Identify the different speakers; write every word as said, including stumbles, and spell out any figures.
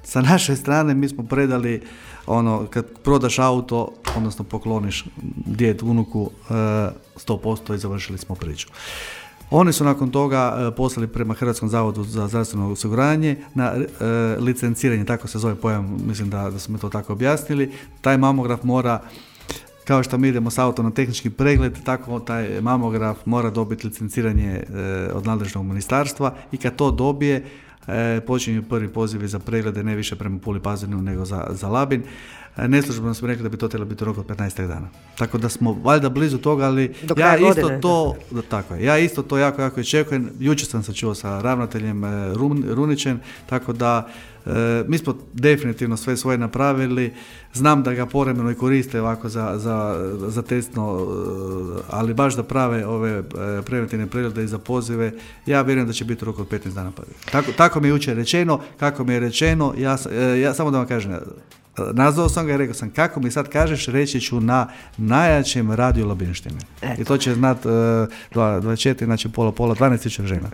Speaker 1: sa naše strane mi smo predali ono, kad prodaš auto, odnosno pokloniš djed, unuku, sto posto i završili smo priču. Oni su nakon toga poslali prema Hrvatskom zavodu za zdravstveno osiguranje na e, licenciranje, tako se zove pojam, mislim da, da smo mi to tako objasnili. Taj mamograf mora, kao što mi idemo s autom na tehnički pregled, tako taj mamograf mora dobiti licenciranje e, od nadležnog ministarstva i kad to dobije, e, počinju prvi pozivi za preglede, ne više prema Puli Pazinu nego za, za Labin. E, neslužbeno smo rekli da bi to trebalo biti u roku od petnaest dana. Tako da smo valjda blizu toga, ali ja isto godine. to, da, tako je, ja isto to jako, jako iščekujem. Jučer sam se čuo sa ravnateljem e, Run, Runićem, tako da e, mi smo definitivno sve svoje napravili. Znam da ga povremeno i koriste ovako za, za, za testno, ali baš da prave ove preventivne preglede i za pozive. Ja vjerujem da će biti u roku od petnaest dana prvi. Tako, tako mi je jučer rečeno, kako mi je rečeno, ja, ja samo da vam kažem, nazvao sam ga i rekao sam, kako mi sad kažeš, reći ću na najjačem radiju Labinštine. I to će znat uh, dvadeset četiri, znači pola pola, dvanaest tisuća žena.